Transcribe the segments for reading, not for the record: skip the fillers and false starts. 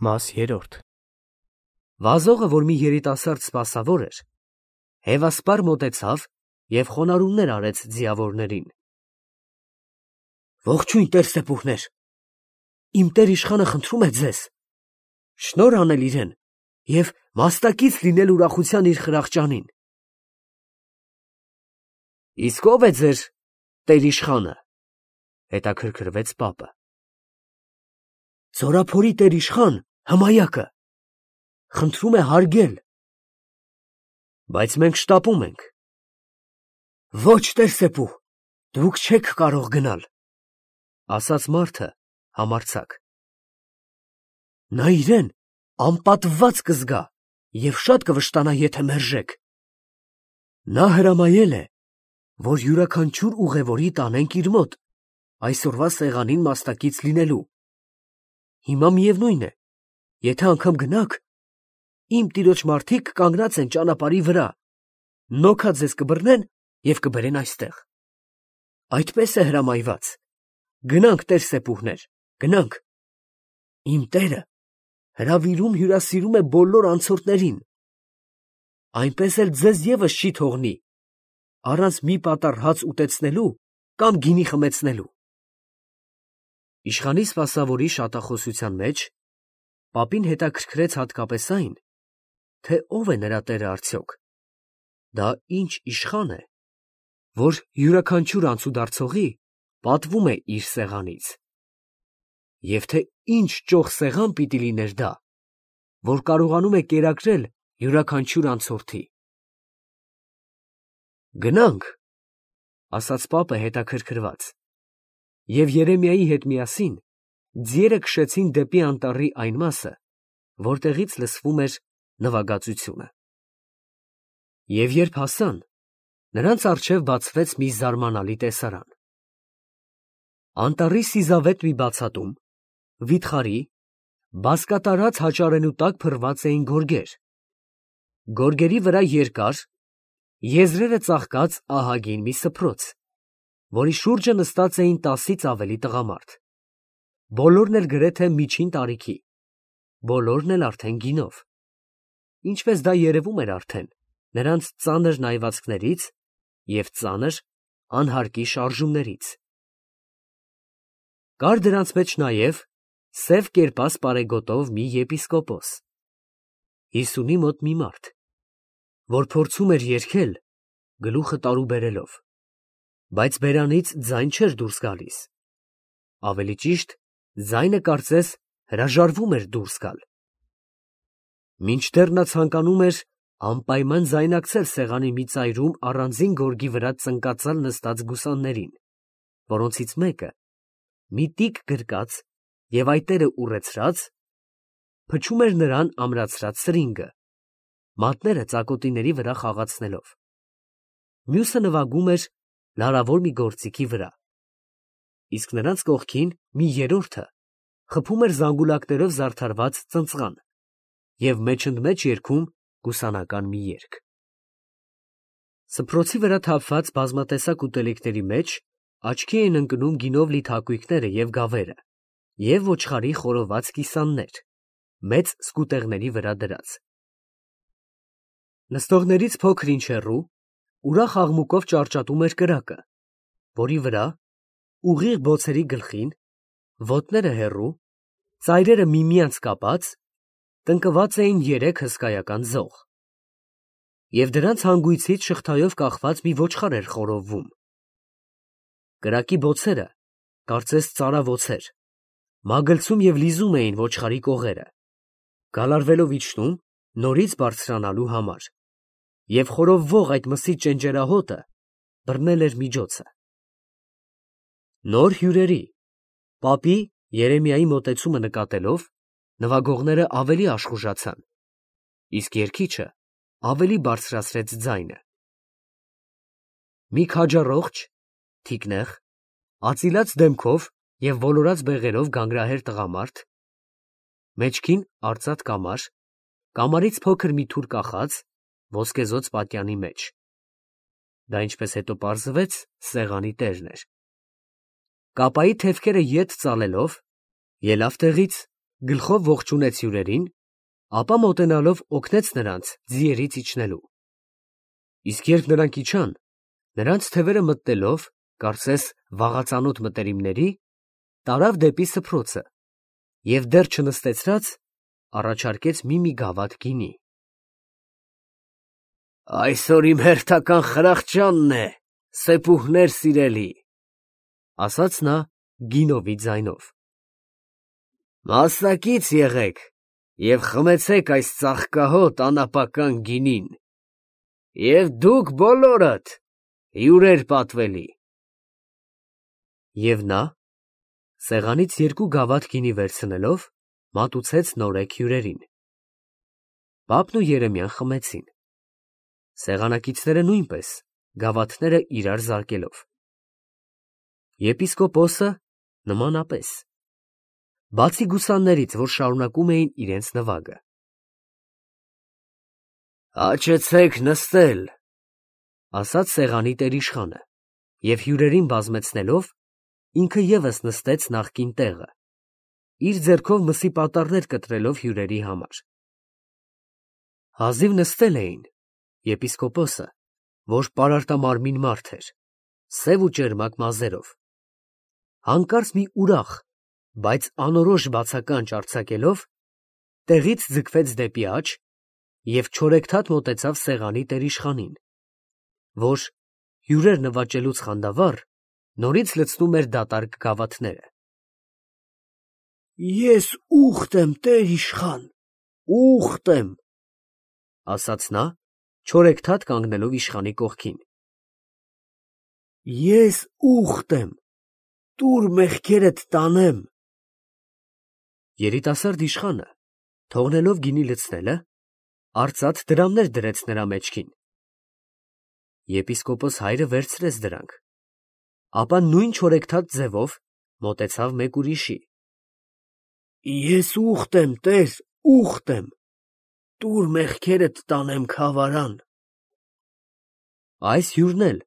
Մաս 3 Վազողը, որ մի երիտասարդ սպասավոր էր, հևասպար մոտեցավ և խոնարհումներ արեց ձիավորներին. «Ողջույն, տեր սեպուհներ, իմ տեր իշխանը խնդրում է ձեզ շնորհ անել իրեն և մաստակից լինել ուրախության իր խրախճանին»։ «Իսկ ո՞վ է ձեր տեր իշխանը», հետաքրքրվեց պապը։ «Ձորափորի տեր իշխան Հմայակը խնդրում է հարգել»։ «Բայց մենք շտապում ենք»։ «Ոչ, տեր սեպուհ, դուք չեք կարող գնալ», ասաց մարդը համարձակ։ «Նա իրեն անպատվված կզգա և շատ կվշտանա, եթե մերժեք։ Նա հրամայել է, որ յուրաքանչյուր ուղևորի տանենք իր մոտ այսօրվա սեղանին մաստակից լինելու։ Հիմա միևնույն է, եթե անգամ գնաք, իմ տիրոջ մարդիկ կանգնած են ճանապարհի վրա, նոքա ձեզ կբռնեն և կբերեն այստեղ։ Այդպես է հրամայված։ Գնանք, տեր սեպուհներ, գնանք։ Իմ տերը հրավիրում հյուրասիրում է բոլոր անցորդներին։ Այնպես էլ ձեզ ևս չի թողնի առանց մի պատառ հաց ուտեցնելու կամ գինի խմեցնելու»։ Իշխանի սպասավորի շատախոսության մեջ պապին հետաքրքրեց հատկապես այն, թե ով է նրա տերը արդյոք, դա ինչ իշխան է, որ յուրաքանչյուր անցուդարձողի պատվում է իր սեղանից, և թե ինչ ճոխ սեղան պիտի լիներ դա, որ կարողանում է կերակրել յուրաքանչյուր անցորդի։ «Գնանք», ասաց պապը հետաքրքրված, և Երեմիայի հետ միասին ձիերը քշեցին դեպի անտառի այն մասը, որտեղից լսվում էր նվագածությունը։ Եվ երբ հասան, նրանց առջև բացվեց մի զարմանալի տեսարան։ Անտառի սիզավետ մի բացատում, վիթխարի, բազկատարած հաճարենու տակ փռված էին գորգեր։ Գորգերի վրա երկար, եզրերը ծաղկած ահագին մի սփռոց, որի շուրջը նստած էին 10-ից ավելի տղամարդ, բոլորն էլ գրեթե միջին տարիքի, բոլորն էլ արդեն գինով, ինչպես դա երևում էր արդեն նրանց ծանր նայվածքներից և ծանր անհարկի շարժումներից։ Կար դրանց մեջ նաև սև կերպաս պարեգոտով մի եպիսկոպոս, 50-ի մոտ մի մարդ, որ փորձում էր երգել գլուխը տարուբերելով, բայց բերանից ձայն չէր դուրս գալիս, ավելի ճիշտ ձայնը կարծես հրաժարվում էր դուրս գալ։ Մինչդեռ նա ցանկանում էր անպայման ձայնակցել սեղանի մի ծայրում առանձին գորգի վրա ծնկածալ նստած գուսաններին, որոնցից մեկը, մի տիկ գրկած և այտերը ուռեցրած, փչում էր նրան ամրացրած սրինգը, մատները ծակոտիների վրա խաղացնելով, մյուսը նվագում էր լարավոր մի գործիքի վրա, իսկ նրանց կողքին մի երրորդը խփում էր զանգուլակներով զարդարված ծնծղան և մեջընդմեջ երգում գուսանական մի երգ։ Սփռոցի վրա թափված բազմատեսակ ուտելիքների մեջ աչքի էին ընկնում գինով լի թակույկները և գավերը և ոչխարի խորոված կիսաններ, մեծ սկուտեղների վրա դրած։ Նստողներից փոքր-ինչ հեռու ուրախ աղմուկով ճարճատում էր կրակը, որի վրա, ուղիղ բոցերի գլխին, ոտները հեռու, ծայրերը միմյանց կապած, տնկված էին 3 հսկայական ձող, և դրանց հանգույցից շղթայով կախված մի ոչխար էր խորովվում։ Կրակի բոցերը, կարծես ծարավոցեր, մագլցում և լիզում էին ոչխարի կողերը, գալարվելով իջնում նորից բարձրանալու համար, և խորովվող այդ մսի ճենճերահոտը բռնել էր միջոցը։ Նոր հյուրերի, պապի Երեմիայի մոտեցումը նկատելով, նվագողները ավելի աշխուժացան, իսկ երգիչը ավելի բարձրացրեց ձայնը։ Մի քաջառողջ, թիկնեղ, ածիլած դեմքով և ոլորած բեղերով գանգրահեր տղամարդ, մեջքին արծաթ կամար, կամարից փոքր մի թուր կախած, ոսկեզօծ պատյանի մեջ (դա ինչպես հետո պարզվեց, սեղանի տերն էր), կապայի թևքերը ետ ծալելով, ելավ տեղից գլխով ողջունեց հյուրերին, ապա մոտենալով օգնեց նրանց ձիերից իջնելու։ Իսկ երբ նրանք իջան, նրանց թևերը մտնելով, կարծես վաղածանոթ մտերիմների, տարավ դեպի սփռոցը և դեռ չնստեցրած առաջարկեց մի գավաթ գինի։ «Այսօր իմ հերթական խրախճանն է, սեպուհներ սիրելի», ասաց նա գինովի ձայնով։ «Մասնակից եղեք և խմեցեք այս ծաղկահոտ անապական գինին, և դուք բոլորդ հյուրեր պատվելի»։ Եվ նա, սեղանից 2 գավաթ գինի վերցնելով, մատուցեց նորեկ հյուրերին։ Պապն ու Երեմիան խմեցին, սեղանակիցները նույնպես, գավաթները իրար զարկելով։ Եպիսկոպոսը նմանապես, բացի գուսաններից, որ շարունակում էին իրենց նվագը։ «Հաճեցեք նստել», ասաց սեղանի տերիշխանը, և հյուրերին բազմեցնելով, ինքը ևս նստեց նախկին տեղը, իր ձեռքով մսի պատառներ կտրելով հյուրերի համար։ Հազիվ նստել էին, եպիսկոպոսը, որ պարարտամարմին մարդ էր, սև ու ճերմակ մազերով, հանկարծ մի ուրախ, բայց անորոշ բացականչ արձակելով, տեղից ձգվեց դեպի աջ և չորեքթաթ մոտեցավ սեղանի տերիշխանին, որ, հյուրեր նվաճելուց խանդավառ, նորից լցնում էր դատարկ գավաթները։ «Ես ուխտ եմ, տերիշխան, ուխտ եմ», ասաց նա, չորեքթաթ կանգնելով իշխանի կողքին։ «Ես ուխտ եմ, տուր մեղքերդ տանեմ»։ Երիտասարդ իշխանը, թողնելով գինի լցնելը, արծաթ դրամներ դրեց նրա մեջքին։ Եպիսկոպոս հայրը վերցրեց դրանք, ապա նույն չորեքթաթ ձևով մոտեցավ մեկ ուրիշի։ «Ես ուխտ եմ, տեր, ուխտ եմ, տուր մեղքերդ տանեմ քավարան»։ Այս հյուրն էլ,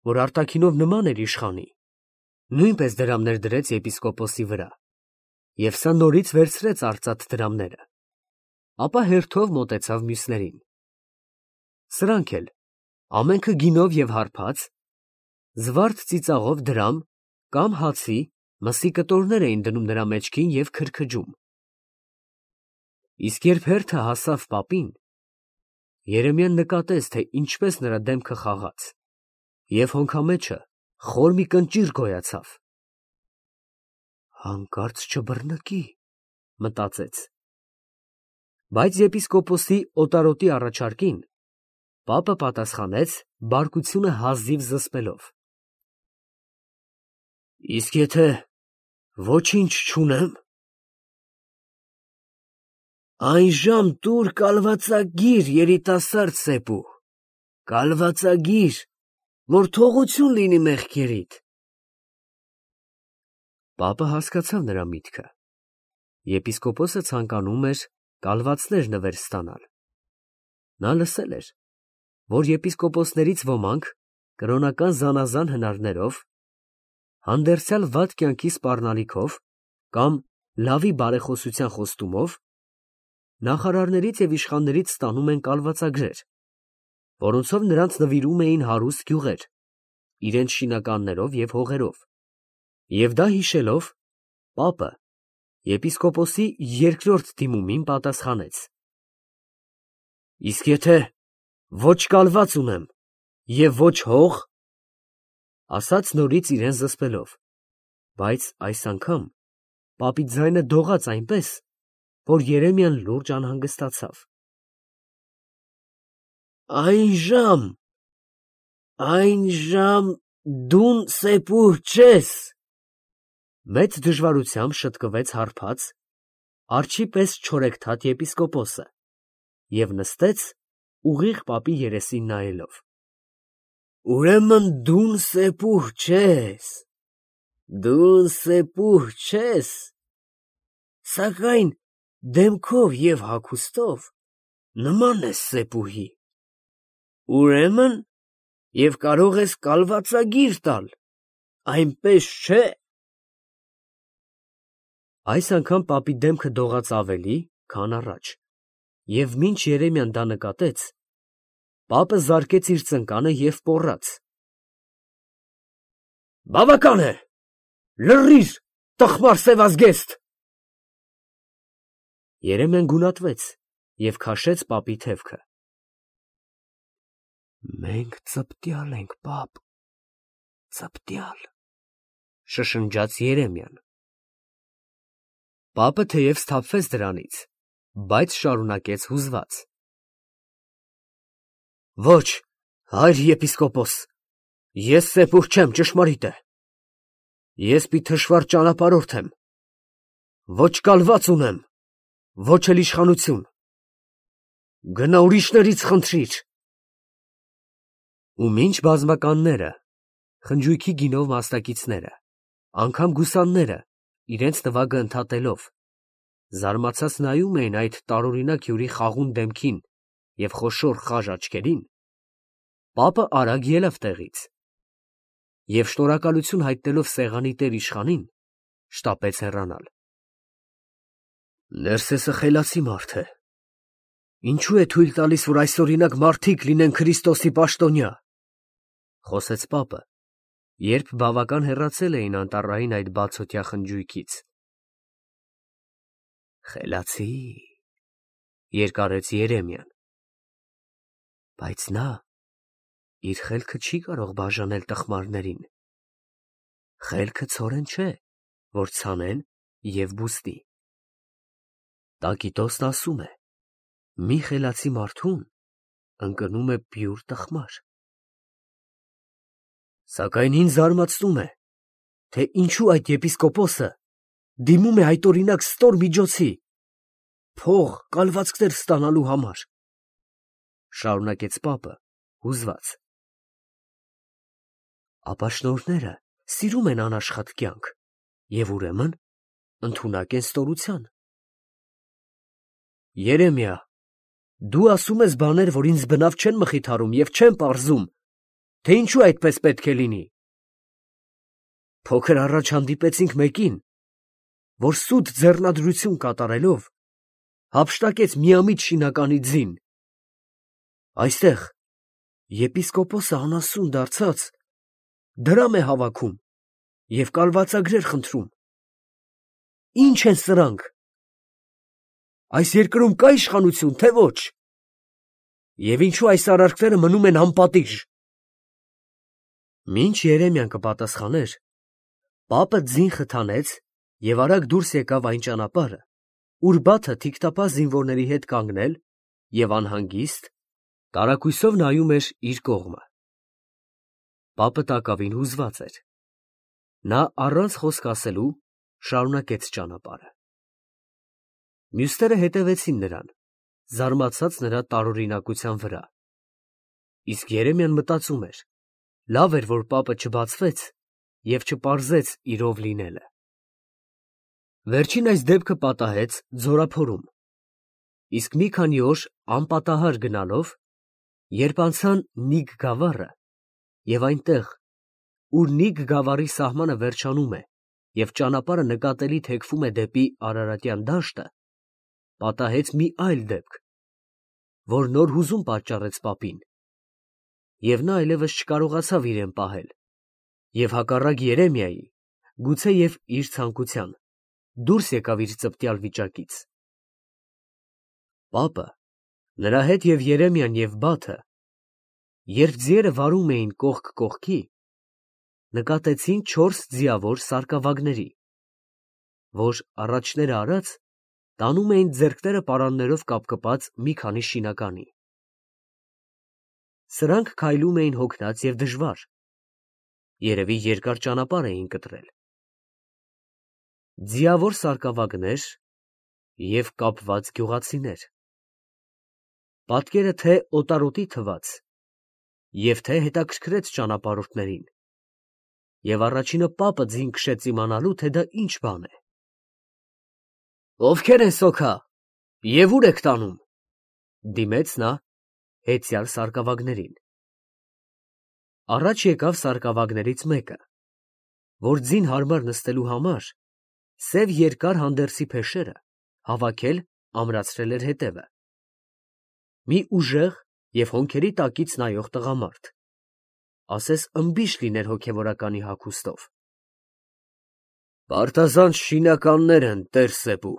որ արտաքինով նման էր իշխանի, նույնպես դրամներ դրեց եպիսկոպոսի վրա, և սա նորից վերցրեց արծաթ դրամները, ապա հերթով մոտեցավ մյուսներին։ Սրանք էլ, ամենքը գինով և հարբած, զվարթ ծիծաղով դրամ կամ հացի, մսի կտորներ էին դնում նրա մեջքին և քրքջում։ Իսկ երբ հերթը հասավ պապին, Երեմիան նկատեց, թե ինչպես նրա դեմքը խաղաց, և հոնքամեջը խոր մի կնճիռ գոյացավ։ «Հանկարծ չբռնկի», մտածեց։ Բայց եպիսկոպոսի օտարոտի առաջարկին պապը պատասխանեց բարկությունը հազիվ զսպելով. «Իսկ եթե ոչինչ չունեմ, այն ժամ տուր կալվածագիր, երիտասարդ սեպուհ, կալվածագիր, որ թողություն լինի մեղքերիդ»։ Պապը հասկացավ նրա միտքը։ Եպիսկոպոսը ցանկանում էր կալվածներ նվեր ստանալ։ Նա լսել էր, որ եպիսկոպոսներից ոմանք կրոնական զանազան հնարներով, հանդերձյալ վատ կյանքի սպառնալիքով կամ լավի բարեխոսության խոստումով նախարարներից և իշխաններից ստանում են կալվածագրեր, որոնցով նրանց նվիրում էին հարուստ գյուղեր, իրենց շինականներով և հողերով, և դա հիշելով, պապը եպիսկոպոսի երկրորդ դիմումին պատասխանեց. «Իսկ եթե ոչ կալված ունեմ և ոչ հող», ասաց նորից իրեն զսպելով, բայց այս անգամ պապի ձայնը դողաց այնպես, որ Երեմիան լուրջ անհանգստացավ։ «Այն ժամ դուն սեպուհ չես», մեծ դժվարությամբ շտկվեց հարբած, արջի պես չորեքթաթ եպիսկոպոսը և նստեց, ուղիղ պապի երեսին նայելով։ «Ուրեմն դուն սեպուհ չես, սակայն դեմքով և հագուստով նման ես սեպուհի, ուրեմն և կարող ես կալվածագիր տալ, այնպես չէ՞»։ Այս անգամ պապի դեմքը դողաց ավելի, քան առաջ, և մինչ Երեմիան դա նկատեց, պապը զարկեց իր ծնկանը և պոռաց. «Բավական է, լռիր, տխմար սևազգեստ»։ Երեմիան գունատվեց և քաշեց պապի թևքը։ «Մենք ծպտյալ ենք, պապ, ծպտյալ», շշնջաց Երեմիան։ Պապը թեև սթափվեց դրանից, բայց շարունակեց հուզված. «Ոչ, հայր եպիսկոպոս, ես սեպուր չեմ, ճշմարիտ է, ես մի թշվառ ճանապարհորդ եմ, ոչ կալված ունեմ, ոչ էլ իշխանություն, գնա ուրիշներից խնդրիր»։ Ու մինչ բազմականները, խնջույքի գինով մասնակիցները, անգամ գուսանները, իրենց նվագը ընդհատելով, զարմացած նայում էին այդ տարօրինակ հյուրի խաղուն դեմքին և խոշոր խաժ աչքերին, պապը արագ ելավ տեղից և շնորհակալություն հայտնելով սեղանի տեր իշխանին, շտապեց հեռանալ։ «Ներսեսը խելացի մարդ է, ինչո՞ւ է թույլ տալիս, որ այսօրինակ մարդիկ լինեն Քրիստոսի պաշտոնյա», խոսեց պապը, երբ բավական հեռացել էին անտառային այդ բացօթյա խնջույքից։ «Խելացի», երկարեց Երեմիան, բայց նա իր խելքը չի կարող բաժանել տխմարներին, խելքը ցորեն չէ, որ ցանեն և բուստի։ Տակիտոսն ասում է. մի խելացի մարդուն ընկնում է պյուր տխմար։ Սակայն ինձ զարմացնում է, թե ինչու այդ եպիսկոպոսը դիմում է այդօրինակ ստոր միջոցի, փող, կալվածքներ ստանալու համար, շարունակեց պապը հուզված։ Ապաշնորհները սիրում են անաշխատ կյանք և ուրեմն ընդունակ են ստորության։ Երեմիա, դու ասում ես բաներ, որ ինձ բնավ չեն մխիթարում և չեն պարզում, թե ինչու այդպես պետք է լինի։ Փոքր առաջ հանդիպեցինք մեկին, որ սուտ ձեռնադրություն կատարելով հափշտակեց միամիտ շինականի ձին։ Այստեղ եպիսկոպոսը անասուն դարձած դրամ է հավաքում և կալվածագրեր խնդրում։ Ի՞նչ են սրանք։ Այս երկրում կա իշխանություն, թե ոչ։ Եվ ինչու այս արարքները մնում են անպատիժ։ Մինչ Երեմիան կպատասխաներ, պապը ձին խթանեց և արագ դուրս եկավ այն ճանապարհը, ուր Բաթը թիկտապահ զինվորների հետ կանգնել և անհանգիստ, տարակույսով նայում էր իր կողմը։ Պապը տակավին հուզված էր։ Նա առանց խոսք ասելու շարունակեց ճանապարհը։ Մյուսները հետևեցին նրան, զարմացած նրա տարօրինակության վրա, իսկ Երեմիան մտածում էր. լավ էր, որ պապը չբացվեց և չպարզեց իր ով լինելը։ Վերջին այս դեպքը պատահեց ձորափորում, իսկ մի քանի օր անպատահար գնալով, երբ անցան Նիգ գավառը, և այնտեղ, ուր Նիգ գավառի սահմանը վերջանում է և ճանապարհը նկատելի թեքվում է դեպի Արարատյան դաշտը, պատահեց մի այլ դեպք, որ նոր հուզում պատճառեց պապին, և նա այլևս չկարողացավ իրեն պահել, և հակառակ Երեմիայի, գուցեև իր ցանկության, դուրս եկավ իր ծպտյալ վիճակից։ Պապը, նրա հետ և Երեմիան և Բաթը, երբ ձիերը վարում էին կողք կողքի, նկատեցին 4 ձիավոր սարկավագների, որ առաջները արած տանում էին ձեռքները պարաններով կապկպած մի քանի շինականի։ Սրանք քայլում էին հոգնած և դժվար, երևի երկար ճանապարհ էին կտրել։ Ձիավոր սարկավագներ և կապված գյուղացիներ։ Պատկերը թե օտարոտի թվաց և թե հետաքրքրեց ճանապարհորդներին, և առաջինը պապը ձին քշեց իմանալու, թե դա ինչ բան է։ Ովքեր են սոքա և ուր եք տանում, դիմեց նա հեծյալ սարկավագներին։ Առաջ եկավ սարկավագներից մեկը, որ ձին հարմար նստելու համար Սև երկար հանդերձի փեշերը հավաքել ամրացրել էր հետևը։ Մի ուժեղ և հոնքերի տակից նայող տղամարդ, ասես ըմբիշ լիներ հոգևորականի հագուստով։ «Պարտազանց շինականներ են, տեր֊Սեբու»,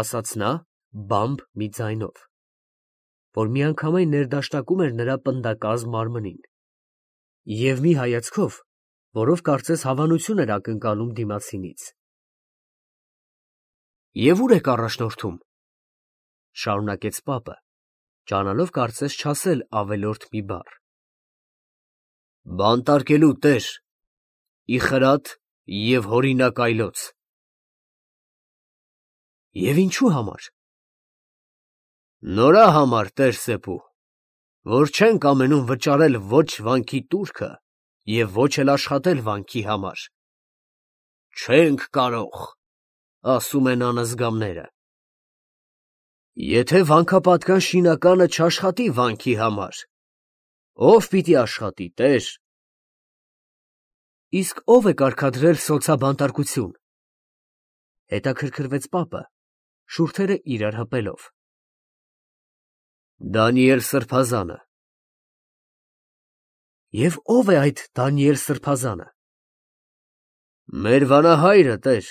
ասաց նա բամբ մի ձայնով, որ միանգամայն ներդաշնակում էր նրա պնդակազմ մարմնին, և մի հայացքով, որով կարծես հավանություն էր ակնկալում դիմացինից։ «Եվ ո՞ւր եք առաջնորդում», շարունակեց պապը, ջանալով կարծես չասել ավելորդ մի բառ։ «Բանտարկելու, տեր, ի խրատ և հորինակ այլոց»։ «Եվ ինչու համար»։ «Նորա համար, տեր֊Սեբու, որ չենք ամենում վճարել ոչ վանքի տուրքը և ոչ էլ աշխատել վանքի համար։ Չենք կարող, ասում են անըզգամները։ Եթե վանքապատկան շինականը չաշխատի վանքի համար, ո՞վ պիտի աշխատի, տեր»։ «Իսկ ո՞վ է կարգադրել սոցաբանտարկություն», հետաքրքրվեց պապը, շուրթերը իրար հպելով։ «Դանիել սրբազանը»։ «Եվ ո՞վ է այդ Դանիել սրբազանը»։ «Մեր վանահայրը, տեր,